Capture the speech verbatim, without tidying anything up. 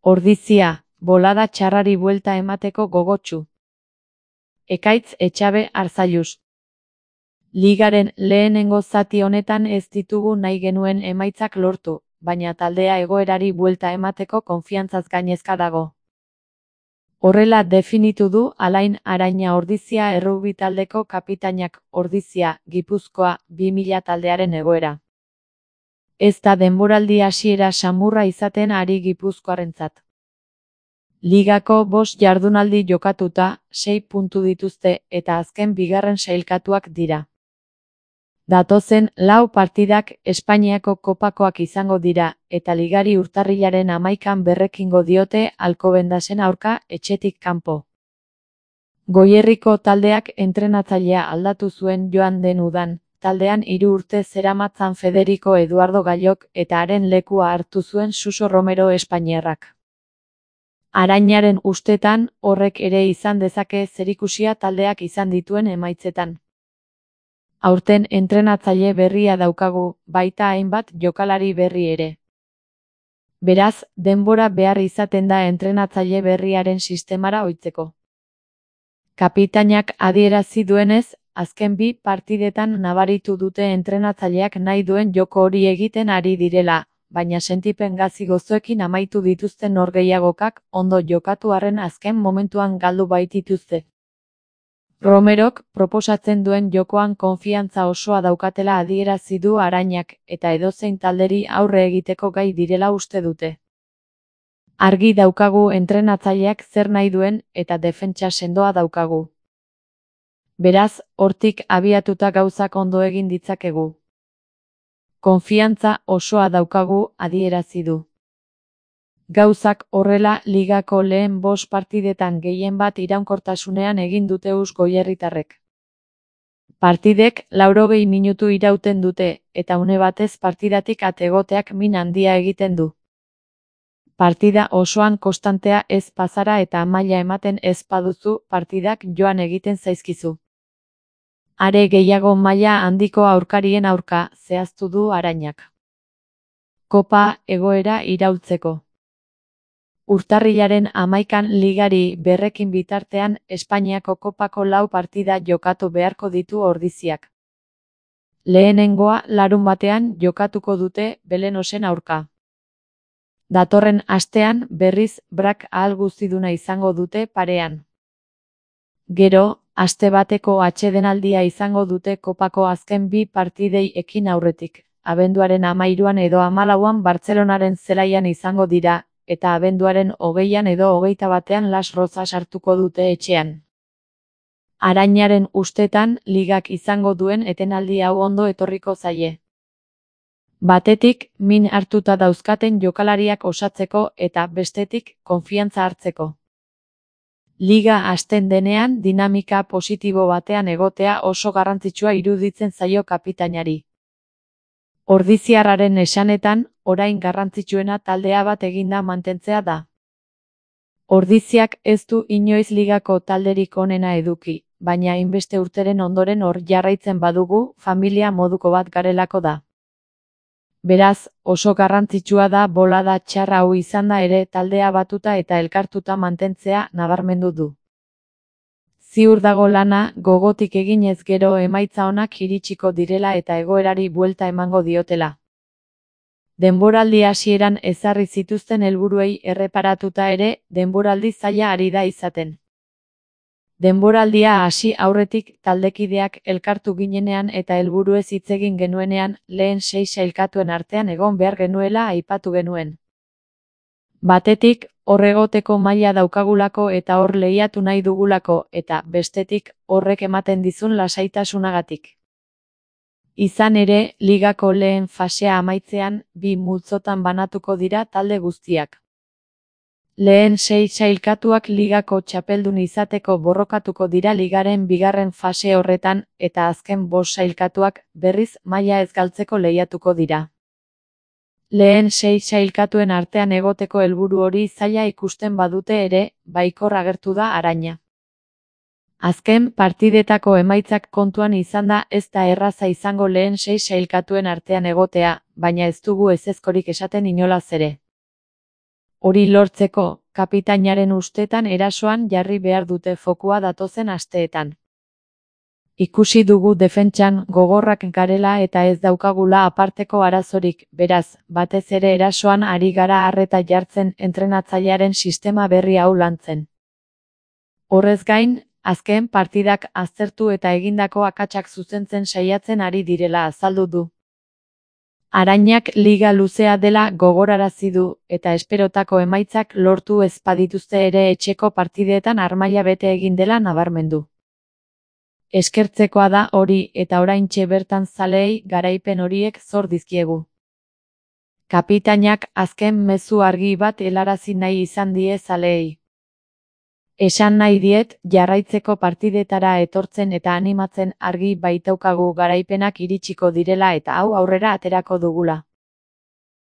Ordizia, bolada txarrari buelta emateko gogotsu. Ekaitz Etxabe Arzallus. Ligaren lehenengo zati honetan ez ditugu nahi genuen emaitzak lortu, baina taldea egoerari buelta emateko konfiantzaz gainezka dago. Horrela definitu du Alain Araina Ordizia errugbi taldeko kapitainak Ordizia, Gipuzkoa, bi mila taldearen egoera. Ez da denboraldi hasiera samurra izaten ari Gipuzkoarrentzat. Ligako bost jardunaldi jokatuta, sei puntu dituzte eta azken bigarren sailkatuak dira. Datozen lau partidak Espainiako kopakoak izango dira, eta ligari urtarrilaren hamaikan berrekingo diote Alcobendasen aurka etxetik kanpo. Goierriko taldeak entrenatzailea aldatu zuen joan den udan, taldean hiru urte zeramatzan Federico Eduardo Gallok eta haren lekua hartu zuen Suso Romero espainiarrak. Arainaren ustetan, horrek ere izan dezake zerikusia taldeak izan dituen emaitzetan. Aurten entrenatzaile berria daukagu, baita hainbat jokalari berri ere. Beraz, denbora behar izaten da entrenatzaile berriaren sistemara ohitzeko. Kapitainak adierazi duenez, azken bi partidetan nabaritu dute entrenatzaileak nahi duen joko hori egiten ari direla, baina sentipen gazi gozoekin amaitu dituzten norgehiagokak ondo jokatu arren azken momentuan galdu baitituzte. Romerok proposatzen duen jokoan konfiantza osoa daukatela adierazi du Arainak eta edozein talderi aurre egiteko gai direla uste dute. Argi daukagu entrenatzaileak zer nahi duen eta defentsa sendoa daukagu. Beraz, hortik abiatuta gauzak ondo egin ditzakegu. Konfiantza osoa daukagu adierazi du. Gauzak horrela ligako lehen bost partidetan gehien bat iraunkortasunean egin dute us goierritarrek. Partidek laurogei minutu irauten dute, eta une batez partidatik at egoteak min handia egiten du. Partida osoan konstantea ez bazara eta maila ematen ez baduzu partidak joan egiten zaizkizu. Are gehiago maila handiko aurkarien aurka, zehaztu du Arainak. Kopa egoera iraultzeko. Urtarrilaren hamaikan ligari berrekin bitartean Espainiako kopako lau partida jokatu beharko ditu Ordiziak. Lehenengoa larun batean jokatuko dute Belenosen aurka. Datorren astean berriz Brak ahal guztiduna izango dute parean. Gero, aste bateko atsedenaldia izango dute kopako azken bi partidei ekin aurretik. Abenduaren hamairuan edo hamalauan Bartzelonaren zelaian izango dira, eta abenduaren hogeian edo hogeita batean Las Rozas hartuko dute etxean. Arainaren ustetan, ligak izango duen etenaldi hau ondo etorriko zaie. Batetik, min hartuta dauzkaten jokalariak osatzeko eta bestetik, konfiantza hartzeko. Liga hasten denean dinamika positibo batean egotea oso garrantzitsua iruditzen zaio kapitainari. Ordiziarraren esanetan, orain garrantzitsuena taldea bat eginda mantentzea da. Ordiziak ez du inoiz ligako talderik onena eduki, baina hainbeste urteren ondoren hor jarraitzen badugu, familia moduko bat garelako da. Beraz, oso garrantzitsua da bolada txarra hau izanda ere taldea batuta eta elkartuta mantentzea nabarmendu du. Ziur dago lana, gogotik eginez gero emaitza onak iritsiko direla eta egoerari buelta emango diotela. Denboraldi hasieran ezarri zituzten helburuei erreparatuta ere, denboraldi zaila ari da izaten. Denboraldia hasi aurretik taldekideak elkartu ginenean eta helburuez hitz egin genuenean, lehen sei sailkatuen artean egon behar genuela aipatu genuen. Batetik, hor egoteko maila daukagulako eta hor lehiatu nahi dugulako, eta bestetik, horrek ematen dizun lasaitasunagatik. Izan ere, ligako lehen fasea amaitzean, bi multzotan banatuko dira talde guztiak. Lehen sei sailkatuak ligako txapeldun izateko borrokatuko dira ligaren bigarren fase horretan, eta azken bost sailkatuak, berriz, maila ez galtzeko lehiatuko dira. Lehen sei sailkatuen artean egoteko helburu hori zaila ikusten badute ere, baikor agertu da Araina. Azken partidetako emaitzak kontuan izanda ez da erraza izango lehen sei sailkatuen artean egotea, baina ez dugu ezezkorik esaten inolaz ere. Hori lortzeko, kapitainaren ustetan erasoan jarri behar dute fokua datozen asteetan. Ikusi dugu defentsan gogorrak garela eta ez daukagula aparteko arazorik, beraz, batez ere erasoan ari gara arreta jartzen entrenatzailearen sistema berri hau lantzen. Horrez gain, azken partidak aztertu eta egindako akatsak zuzentzen saiatzen ari direla azaldu du. Arainak liga luzea dela gogorarazi du, eta esperotako emaitzak lortu ez badituzte ere etxeko partideetan armaila bete egin dela nabarmendu. Eskertzekoa da hori eta oraintxe bertan zaleei garaipen horiek zor dizkiegu. Kapitainak azken mezu argi bat helarazi nahi izan die zaleei. Esan nahi diet, jarraitzeko partidetara etortzen eta animatzen argi baitaukagu garaipenak iritsiko direla eta hau aurrera aterako dugula.